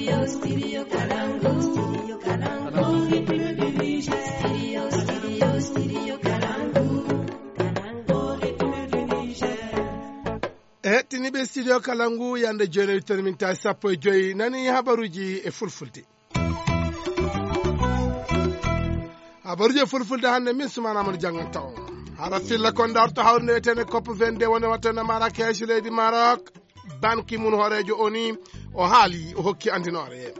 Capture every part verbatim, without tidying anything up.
E hettiniiɓe studio kala ngu, yande jooni wittere min tawi sappo e joyi, nani habaruuji e fulfulde. Habaruuji e fulfulde hannde, min Sumaana Amadou Janngan taw. Hara filla kon darto hawrinde wiyetende cop vingt-deux woni wattande Marrakech, leydi Maroc. Ban Ki-moon, hooreejo O N U, o haali, o hokki andinoore.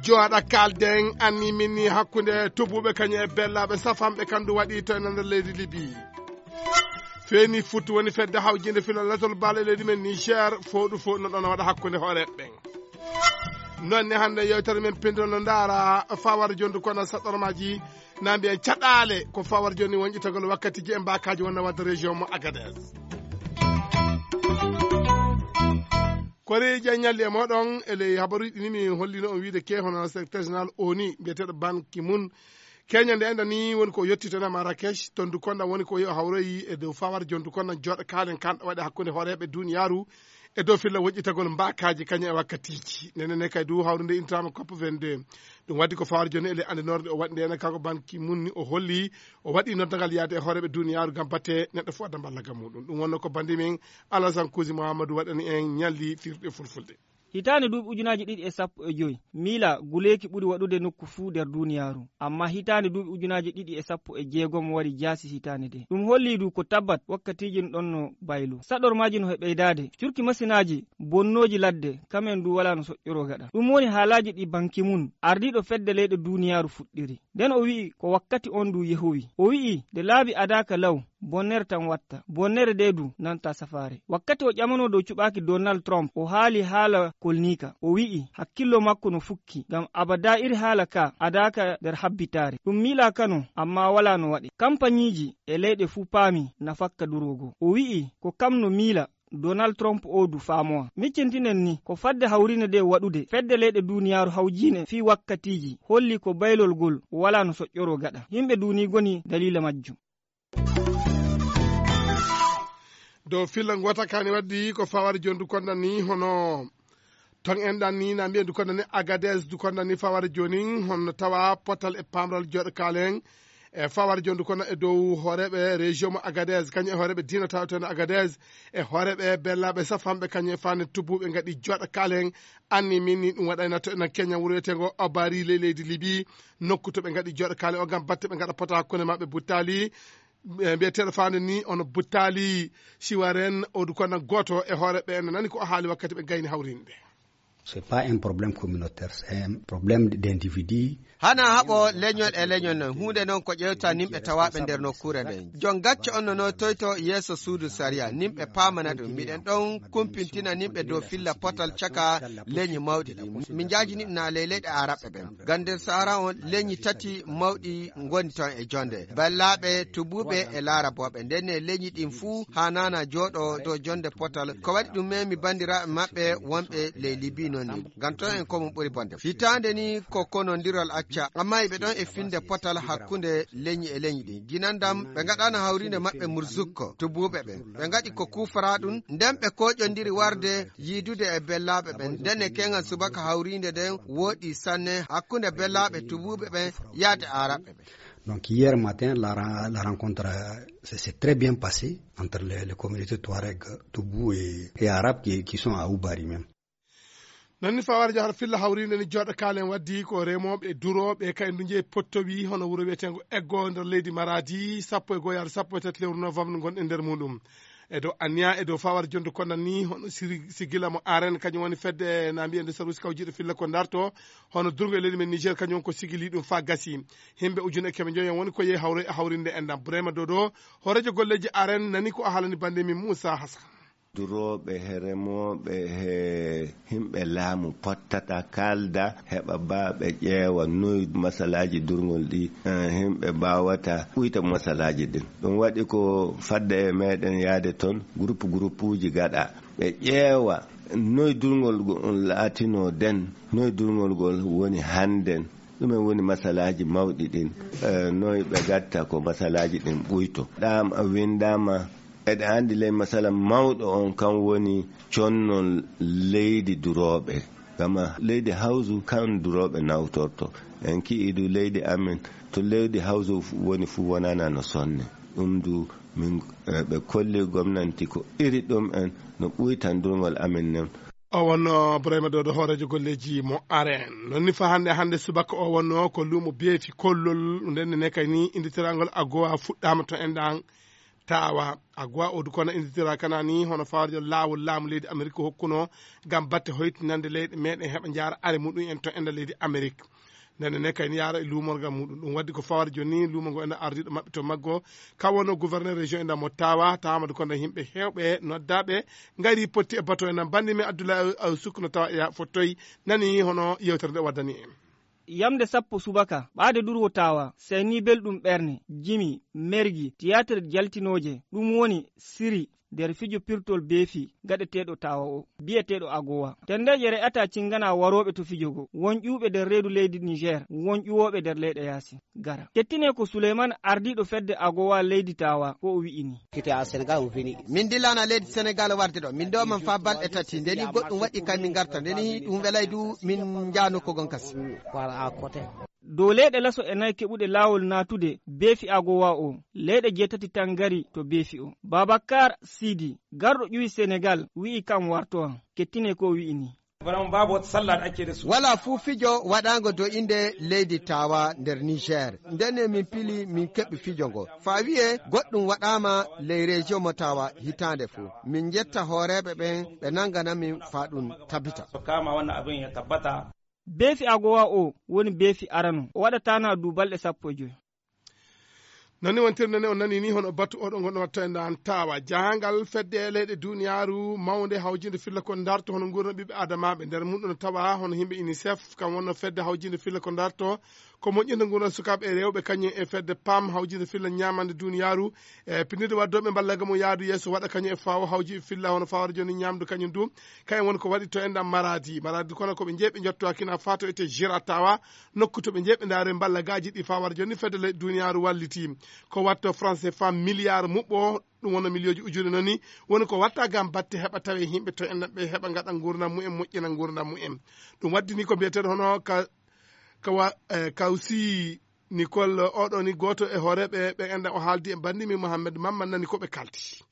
Jooɗa kaalden anni min ni hakkunde tubuɓe kañum e bellaaɓe safanɓe, kandu waɗi to e nder leydi Libi. Feeni Fut woni fedde hawjinde fila latol baale leydi men Niger, fooɗu fo no ɗon waɗa hakkunde hooreeɓe ɓen. Noon ne hannde yewtere men pindol no ndaara fawar jondu kono saɗɗormaaji na mbiyen caɗaale ko fawar joni wonƴitagol wakkatiji e mbakaji wonna wadde région mo Agadez. Kori ƴaññalli e moɗon e ley habaruji ɗi ni mi hollino on wiide ke hono secrétaire général O N U mbiyeteɗo Ban Ki-moon. Keñande enɗa ni woni ko yettitana Marrakech, tondu konɗa woni ko yo hawroyi e dow fawar jondu konɗa joɗa kalen kanɗo waɗe hakkunde hooreɓe duniyaaru e dow filla woƴƴitagol mbakaji kañum e wakkatiji. Nene ne kay du hawrude intrama cop vingt-deux. Ɗum waddi ko fawar joni ele anndinorde o waɗi nde ene kanko Ban Ki-moon ni o holli o waɗi noddagal yaade e hooreɓe duniyaaru ngam batte neɗɗo fof adda mballagam muɗum. Ɗum wonno ko bandi men Alasan Kuusi Muhammadu waɗani en ñalli firɗe fulfulde. Hitaande duuɓi ujunaaji ɗiɗi e sappo e joy, miila guleeki ɓuri waɗude nokku fuu nder duuniyaaru. Ammaa hitaande duuɓi ujunaaji ɗiɗi e sappo e jeegom waɗi jaasi hitaande nde. Ɗum hollii du ko tabbat wakkatiiji no ɗonno baylo. Saɗormaaji no he ɓeydaade. Curki masinaaji bonnooji ladde, kamen du walaa no soƴƴoroo gaɗa. Ɗum woni haalaaji ɗi Ban Ki-moon, ardiiɗo fedde leyɗe duuniyaaru fuɗɗiri. Nden o wi'i ko wakkati on du yehowi. O wi'i nde laabi adaaka law, bonnere tan watta. Bonnere nde du nanta safaare. Wakkati o ƴamanoo dow cuɓaaki Donald Trump, o haali haala kolniika. O wi'i hakkillo makko no fukki, ngam abadaa iri haala ka adaaka nder habbitaare. Ɗum miilaaka no, ammaa walaa no waɗe. Kampaniiji e leyɗe fuu paami nafakka duroogo. O wi'i ko kam no miila Donald Trump o du faamowa. Miccintinen ni, ko fadde hawriinde nde waɗude, fedde leyɗe duuniyaaru hawjiine fii wakkatiiji holli ko baylol ngol walaa no soƴƴoroo gaɗa. Yimɓe duunii ngoni daliila majjum. Dow filla ngota kani waddi ko fawar jondu konda ni hono ton en ɗan ni na mbiyen du konda ni Agadez du konda ni fawar jonin hono tawa potal e pamral joɗo kalen e fawar jondu kono e dow hooreɓe région mo Agadez kañum e hooreɓe diina tawteno Agadez e hooreɓe bellaɓe safanɓe kañum e fane tubuɓe gaɗi joɗo kalen anni min ni ɗum waɗayna to ena Kenya wuro wiyetengo Obari ley leydi Libi nokku to ɓe gaɗi joɗo kalen o gam batte ɓe gaɗa pota hakkunde maɓɓe buttali. E mbiyeteeɗo faande ni ono buttaali siwaren odu kono gooto e hoore ɓe no nani ko o haali wakkati ɓe gayni hawrinde. C'est pas un problème communautaire, c'est un problème d'individu. Hana haɓo leñol e leñol non huunde non ko ƴewta nimɓe tawaaɓe nder nokkuure nden. Jon gacce on no notoyto yeeso suudu sariya nimɓe paamana ɗum miɗen ɗon kumpintina nimɓe dow filla potal caka leñi mawɗi ɗi. Min njaajini ɗum na ley leyɗe araɓɓe ɓen. Gam nder sahara on leñi tati mawɗi ngoni ton e jonde ballaaɓe tubuuɓe e laarabooɓe nden e leñi ɗin fuu haa nana jooɗo dow jonde potal ko waɗi ɗum memi banndiraaɓe maɓɓe wonɓe ley libi non ni ngam ton en ko mum ɓuri bonde hitaande ni ko konondirol acca amma iɓe ɗon e finde potal hakkunde leñi e leñi ɗin jinandam ɓe ngaɗano hawrinde maɓɓe murzukko tubuuɓe ɓen ɓe ngaɗi ko kuufara ɗum nden ɓe koƴondiri warde yiidude e bellaaɓe ɓen nden e keŋal subaka hawriinde nden wooɗi sanne hakkunde bellaaɓe tubuuɓe ɓen yaade aaraɓɓe ɓen. Donc hier matin la, la rencontre s'est très bien passée entre les, les communautés Touareg, Toubou et, et Arabes qui, qui sont à Oubari même. Nanni fawar jahar filla hawrinde ni joɗo kalen waddi ko remoɓe duroɓe kay ndu jeeyi pottowi hono wuro wiyetengo eggo nder leydi maradi sappo e goyar sappo e tati lewru novembre gonɗen nder muɗum e dow anniya e dow fawar jondu konda ni hono sigila mo aren kañum woni fedde na mbiyen de sarusi kawjiɗo filla ko darto hono durgo e leydi men niger kañum ko sigili ɗum fa gasi himɓe ujune e keme joyi en woni ko yehi hawre e hawrinde en ɗam brema dodo hoorejo golleji aren nani ko a halani bande min moussa hasan. Durooɓe he remooɓe he himɓe laamu pottata kaalda heɓa baa ɓe ƴeewa noy masalaaji durngol ɗi himɓe mbaawata ɓuyta masalaaji ɗin. Ɗum waɗi ko fadde e meɗen yaade toon groupe groupuuji gaɗa ɓe ƴeewa noy durngol on laatinoo den, noy durngol ngol woni hannden. Ɗumen woni masalaaji mawɗi ɗin? Noy ɓe gatta ko masalaaji ɗin ɓuyto? Ɗam winndama eɗa anndi ley masala mawɗo on kan woni connol leydi durooɓe. Gama leydi hawsu kan durooɓe nawtorto. En ki'ii du leydi amen, to leydi hawsu woni fuu wonana no sonne. Ɗum du min, eh, ɓe kolli gomnanti ko iri ɗum en no ɓuytandurngol amen nden. O wonno Burayma Doodo, hooreejo golleeji mo aren. Non ni fa hannde, hannde subaka o wonno ko luumo beefi kollol, nden ne kay ni inditiranngol agowa fuɗɗaama to enɗan tawa. Agowa o du kono inditira kana ni hono fawarjo laawol laamu leydi Amerik hokkuno ngam batte hoytinande leyɗe meɗen heɓa njaara are muɗum en to enɗan leydi Amerik. Nden ne kay ni yaara e luumorgal muɗum. Ɗum waddi ko fawarjo ni luumo ngo enɗan ardiiɗo maɓɓe to maggo. Ka wonno gouverneur région enɗan mo tawa, tawa du kono himɓe hewɓe noddaɓe ngari potti e bato enɗan. Bandi men Abdoulaye Aw Suk no tawa e ya fottoy nani hono yewtere nde waddani en. Yamde sappo subaka, ɓaade durwo tawa, seyni belɗum ɓerne, jimi, mergi, tiyaatir jaltinooje, ɗum woni siri nder fijo pirtol beefi gaɗeteeɗo tawa o, biyeteeɗo agowa. Tendeeje re'ata cingana warooɓe to fijo go, won ƴuuɓe nder reedu leydi Niger, won ƴuwooɓe nder leyɗe yaasi. Gara. Kettine ko Suleyman, ardiiɗo fedde agowa leydi tawa, ko o wi'i ni. Kite a Senegal o vini. Min dillana leydi Senegal warde ɗo. Min ɗo man fa balɗe tati. Ndeni goɗɗum waɗi kay min garta. Ndeni ɗum welay du min njaano ko gon kasi. Dow leyɗe laso e nayi keɓuɗe laawol naatude beefi agowa o, leyɗe jeetati tan ngari to beefi o. Babakar Sidi, garɗo ƴuwi Senegal, wi'i kam wartowa. Kettine ko wi'i ni. Vraiment, babu wata sallah da ake da su. Wala fuu fijo waɗaango dow innde leydi tawa nder Niger. Ndenne min pili min keɓi fijo ngo. Fa wi'e goɗɗum waɗaama ley région mo tawa hitaande fuu. Min njetta hooreeɓe ɓen ɓe nangana min fa ɗum tabita. Su kama wannan abin ya tabbata. Beefi agowa o woni beefi arano. O waɗataana du balɗe sappo e joy. Nani wontirde nde on nani ni hono batu oɗo gonɗo watta e ndan tawa. Jahangal fedde leyɗe duniyaaru mawnde hawjinde filla ko darto hono nguurna ɓiɓɓe adamaaɓe. Nder mum ɗon tawa hono himɓe UNICEF, kam wonno fedde hawjinde filla ko darto ko moƴƴinde nguurna sukaaɓe e rewɓe, kañum e fedde pam hawjinde filla ñaamande duniyaaru. E pinnirde waddooɓe mballa gam o yaadu yeeso waɗa kañum e fawo hawji filla hono fawara joni ñaamdu kañum du. Kañum woni ko waɗi to enɗan Maradi. Maradi kono ko ɓe jeeɓe jotto hakina fato ete Giratawa. Nokku to ɓe jeeɓe ndaare mballa gaaji ɗi fawara joni fedde leyɗe duniyaaru walliti. Ko watto français fa milliard muɓɓo, ɗum wona miliyooji ujune noni, woni ko watta gam batte heɓa tawe himɓe to enɗan ɓe heɓa gaɗa nguurndam mumen, moƴƴina nguurndam mumen. Ɗum waddini ko mbiyeteeɗo hono ka, ka wa-, eh, Kawsi Nicole, oɗo ni gooto e hooreeɓe ɓe enɗan o haaldi e banndi min Mohamed Mamman nani ko ɓe kaldi.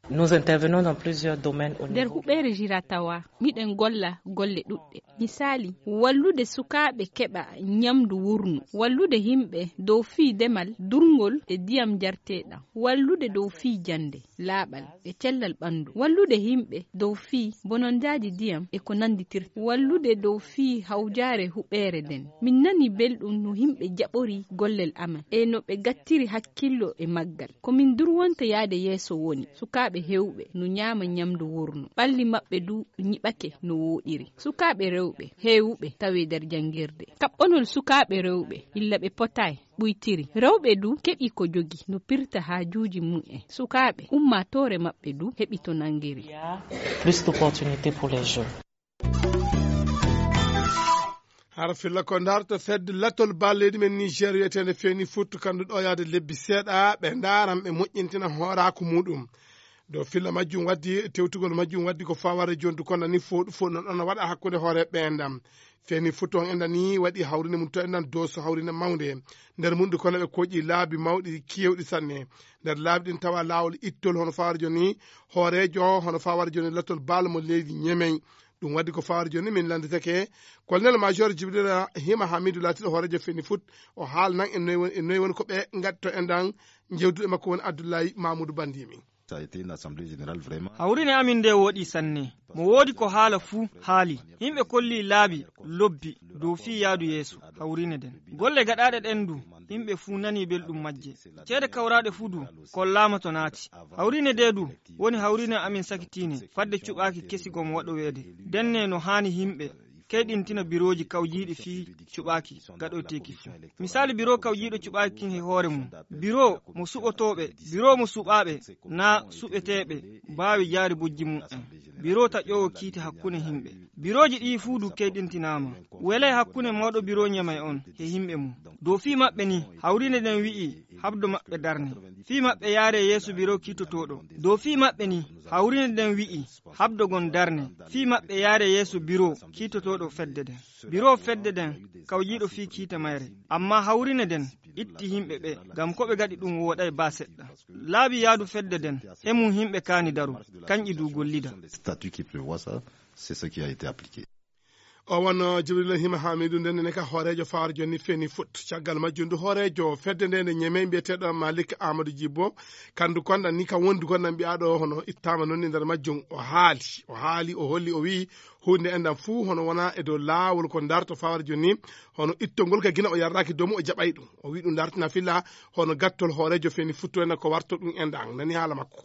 Nous intervenons dans plusieurs domaines au Nder niveau huɓeere Jiratawa, miɗen golla golle ɗuɗɗe. Misaali, wallude sukaaɓe keɓa ñamdu wurnu, wallude yimɓe dow fii demal, durngol e diyam njarteeɗam, wallude dow fii jannde, laaɓal e cellal ɓanndu, wallude yimɓe dow fii bonondaaji diyam e ko nannditirta, wallude dow fii hawjaare huɓeere nden. Min nani belɗum no yimɓe jaɓori gollel amen e no ɓe gattiri hakkillo e maggal. Ko min durwonta yaade yeeso woni sukaaɓe heewɓe no ñaama ñamdu wurnu, ɓalli maɓɓe du ñiɓake no wooɗiri. Sukaaɓe rewɓe heewɓe tawe nder janngirde. Kaɓɓonol sukaaɓe rewɓe illa ɓe potaay ɓuytiri. Rewɓe du keɓi ko jogi no pirta haajuuji mumen. Sukaaɓe, ummaatoore maɓɓe du heɓi to nanngiri. Plus d'opportunités pour les jeunes. Hara filla ko ndarto fedde latol bal leydi men Niger wiyeteende Feni Foot, kandu ɗo yaade lebbi seeɗa, ɓe ndaran ɓe moƴƴintina hooraaku muɗum. Dow filla majjum waddi, tewtugol majjum waddi ko faware jondu kono ni fo, fo non ɗon waɗa hakkunde hoore ɓe enɗam. Feni Foot on enɗan ni waɗi hawrine mum to enɗan Doso hawrine mawnde. Nder mum du kono ɓe koƴi laabi mawɗi kewɗi sanne. Nder laabi ɗin tawa laawol ittol hono faware joni, hooreejo hono faware joni latol bal mo leydi Ñemey. Ɗum waddi ko fawre jooni min lannditake Colonel Major Jibrila Hima Hamidu, laatiiɗo hooreejo Feni Foot. O haalnan en noy woni, en noy woni ko ɓe ngaddi to enɗan. Jewduɗo e makko woni Abdullahi Mamoudou Bandimi. Ça a été une assemblée générale vraiment. Hawrine amin nde woɗi sanne. Mo woodi ko haala fuu haali. Yimɓe kolli laabi lobbi dow fii yaadu yeeso hawrine nden. Golle gaɗaaɗe ɗen du, yimɓe fuu nani belɗum majje. Ceede kawraaɗe fuu du, kollaama to naati. Hawrine nde du, woni hawrine amin sakitiine, fadde cuɓaaki kesi gom waɗoweede. Denne no haani yimɓe keyɗintina birooji kawjiiɗi fii cuɓaaki gaɗoyteeki fuu. Misaali biro kawjiiɗo cuɓaaki kin he hoore mum. Biro mo suɓotooɓe, biro mo suɓaaɓe, naa suɓeteeɓe, baawi jaari bojji mum en. Biro taƴoowo kiite hakkunde yimɓe. Birooji ɗii fuu du keyɗintinaama. Welay hakkunde mawɗo biro Ñamey on he yimɓe mum. Dow fii maɓɓe ni, hawrine nden wi'i, habdo maɓɓe darne. Fii maɓɓe yaare yeeso biro kiitotooɗo. Dow fii maɓɓe ni, hawriine nden wi'i, habdogon darne. Fii maɓɓe yaare yeeso biro kiitotooɗo fedde nden. Biro fedde nden, kawjiiɗo fii kiita mayre. Amma hawriine nden, itti himɓe ɓe, ngam ko ɓe gaɗi ɗum wooɗay baa seɗɗa. Laabi yaadu fedde nden, e mum himɓe kaani daro, kanƴi du gollida. Statut qui prévoit ça, c'est ce qui a été appliqué. O wonno Jibril Hima Hamidu, nden ne ka hooreejo fawar jonni feni fut. Caggal majjum du hooreejo fedde nde nde ñeme mbiyeteeɗo Malik Amadou Djibo, kandu konda ni ka wondi kon nan mbiyaɗo hono ittama non e nder majjum. O haali, o haali, o holli, o wi'i hunde endan fuu hono wona e dow laawol ko darto fawar jonni, hono ittongol ka gina o yarraki domu o jaɓay ɗum. O wi'i ɗum dartina filla hono gattol hooreejo feni futto en ko warto ɗum endan. Nani haala makko.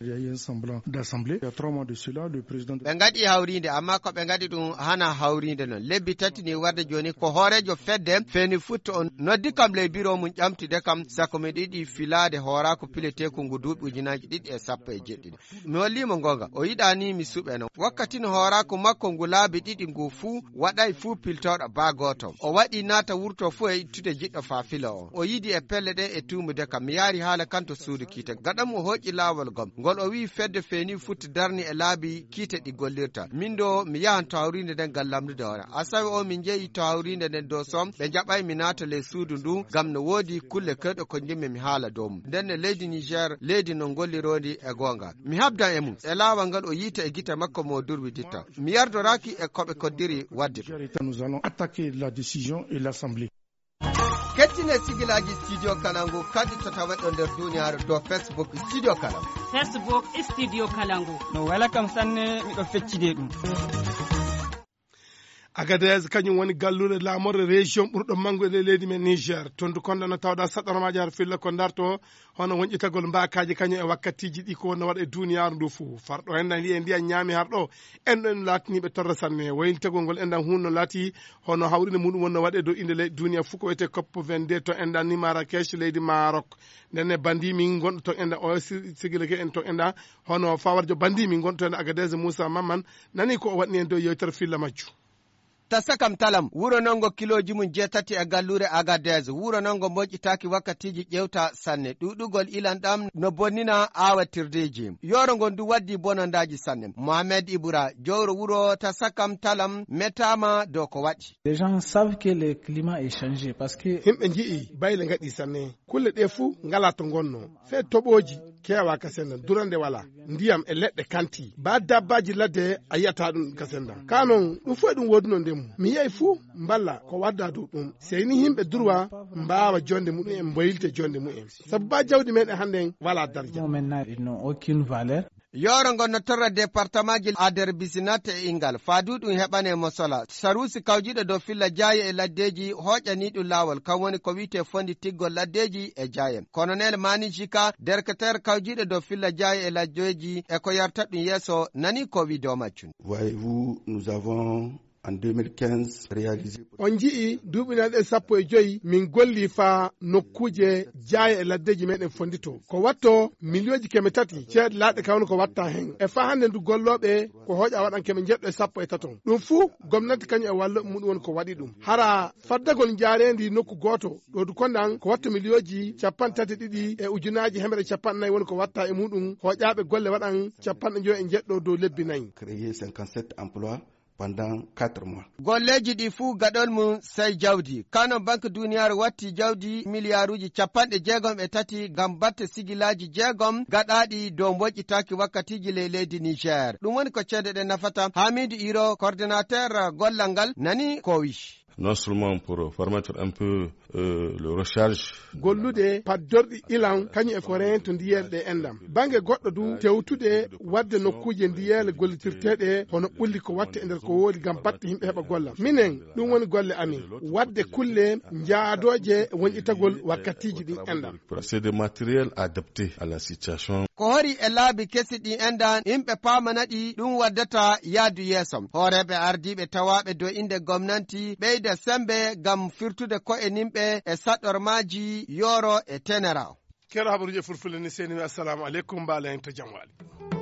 Il y a eu un semblant d'assemblée. Il y a trois mois de cela, le président de Ɓe ngaɗi hawriinde, amma ko ɓe ngaɗi ɗum hana hawriinde non. Lebbi tati ni warde jooni, ko hooreejo fedde feni futto on noddi kam ley biro mum ƴamtude kam, sako mi ɗiɗi filaade hooraaku pileteeku ngu duuɓi ujunaaji ɗiɗi e sappo e jeɗɗi. Mi holliimo ngoonga, o yiɗaani mi suɓeno. Wakkati no hooraaku makko ngu laabi ɗiɗi ngu fuu, waɗay fuu piltooɗo baa gooto. O waɗi naata wurto fuu e ittude jiɗɗo faa filo on. O yidi e pelle ɗen e tuumude kam. Mi yaari haala kan to suudu kiite. Gaɗa mum o hooƴi laawol gom. Ngol o wi'i fedde feeni futti darni e laabi kiite ɗi gollirta. Min ɗo mi yahan to hawriinde nden ngam lamndude hoore. Asawe o min njehi to hawriinde nden dow som. Ɓe jaɓay mi naata ley suudu ndu ngam no woodi kulle kewɗe ko njimmi mi haala dow mum. Nden ne leydi Niger, leydi no ngollirondi e goonga. Mi habdan e mum. E laawol ngal o yiita e gite makko mo durwiditta. Mi yardoraaki e ko ɓe koddiri wadde ɗum. Nous allons attaquer la décision et l'Assemblée. Kettine sigilaaji Studio Kalangu kadi to taweɗo nder duniyaaru dow Facebook Studio Kalangu. Facebook Studio Kalangu. No wela kam sanne, miɗo feccide ɗum. Agadez kañum woni galluure laamorde région ɓurɗo manngu e leydi men Niger. Tondu konda no tawɗa saɗormaaji har filla ko darto hono wonƴitagol mbaakaaji kañum e wakkatiiji ɗi ko wonno waɗa e duniyaaru ndu fuu. Farɗo en nani e ndiyan ñaami harɗo en ɗon laatiniiɓe torra sanne. Wayiltagol ngol enɗan hunno laati hono hawrinde muɗum wonno waɗe dow innde ley duniya fuu ko wiyetee cop vingt-deux to enɗan ni Marrakech leydi Maroc. Nden ne bandi min gonɗo ton enɗan o si-, sigilake en ton enɗan hono fawarjo bandi min gonɗo ton enɗan Agadez Moussa Mamman nani ko o waɗni en dow yewtere filla majju. Tasa kam talam, wuro nongo kilooji mum jeetati e galluure Agadez, wuro nongo moƴƴitaaki wakkatiiji ƴewta sanne. Ɗuuɗugol ilan ɗam no bonnina aawatirdeeji. Yooro ngon du waddi bonondaaji sanne. Mohamed Ibra, jowro wuro Tasa kam talam, metaama dow ko waɗi. Les gens savent que le climat est changé parce que Himɓe nji'i bayle ngaɗi sanne. Kulle ɗe fuu ngalaa to ngonno. Fee toɓooji keewaa ka sennda, durande walaa. Ndiyam e leɗɗe kanti. Baa dabbaaji ladde a yi'ataa ɗum ka sennda. Kaa non, ɗum fof e ɗum woodunoo ndemu. Mi yi'ay fuu mballa ko waddaa dow ɗum. Sey ni yimɓe durwa mbaawa jonde mu'en, mboyilta jonde mu'en. Sabu baa jawdi meɗen hannden walaa darja. Maintenant, ils n'ont aucune valeur. Yooro ngon no torra departamaaji Ader Bisinat e Ingal. Faa du ɗum heɓanee mo sola. Saruusi kawjiiɗo dow filla jaaye e laddeeji hooƴanii ɗum laawol. Kan woni ko wi'etee fondi tiggol laddeeji e jaaye. Kolonel Mani Jika, derketeer kawjiiɗo dow filla jaaye e laddeeji e ko yarta ɗum yeeso, nani ko wi'i dow majjum. Voyez-vous, nous avons, en deux mille quinze, réalisé. On nji'i duuɓi nayi ɗe sappo e joyi min golli faa nokkuuje jaaye e laddeeji meɗen fondito. Ko watto miliyooji keme tati ceeɗe laaɗe kawno ko watta hen. E faa hannde ndu gollooɓe ko hooƴa waɗan keme njeɗɗo e sappo e taton. Ɗum fuu gomnati kañum e wallooɓe muɗum woni ko waɗi ɗum. Hara faddagol njaareendi nokku gooto, ɗo du kondan ko watto miliyooji capanɗe tati e ɗiɗi e ujunaaji hemere capanɗe nayi woni ko watta e muɗum, hooƴaaɓe golle waɗan capanɗe njoyo e njeɗɗo dow lebbi nayi. Créer cinquante-sept emplois pendant quatre mois. Golleeji ɗi fuu gaɗol mum sey jawdi. Kano Banque Duniyaaru watti jawdi miliyaaruuji capanɗe jeegom e tati ngam batte sigilaaji jeegom gaɗaaɗi dow mboƴƴitaaki wakkatiiji ley leydi Niger. Ɗum woni ko ceede ɗe nafata. Hamidu Iro, coordinateur gollal ngal, nani ko wi'i. Non seulement pour permettre un peu, euh, le recharge. Gollude paddorɗi ilan kañum e ko reento ndiyeele ɗe enɗam. Bannge goɗɗo du tewtude waɗde nokkuuje ndiyeele gollitirteeɗe hono ɓulli ko watte e nder ko woodi ngam batte yimɓe heɓa golla. Minen, ɗum woni golle amin. Waɗde kulle njaadooje e wonƴitagol wakkatiiji ɗin enɗam. C'est des matériels adaptés à la situation. Ko hori e laabi kesi ɗi enɗan, yimɓe paamana ɗi ɗum waddata yaadu yeeso. Hooreeɓe ardiiɓe tawaaɓe dow innde gomnanti ɓeyda semmbe ngam firtude ko'e nimɓe e saɗormaaji yooro e tenera o. Keɗo habaruuji e fulfulde ni seni mi assalamu aleykum, mbaalen to jam waali.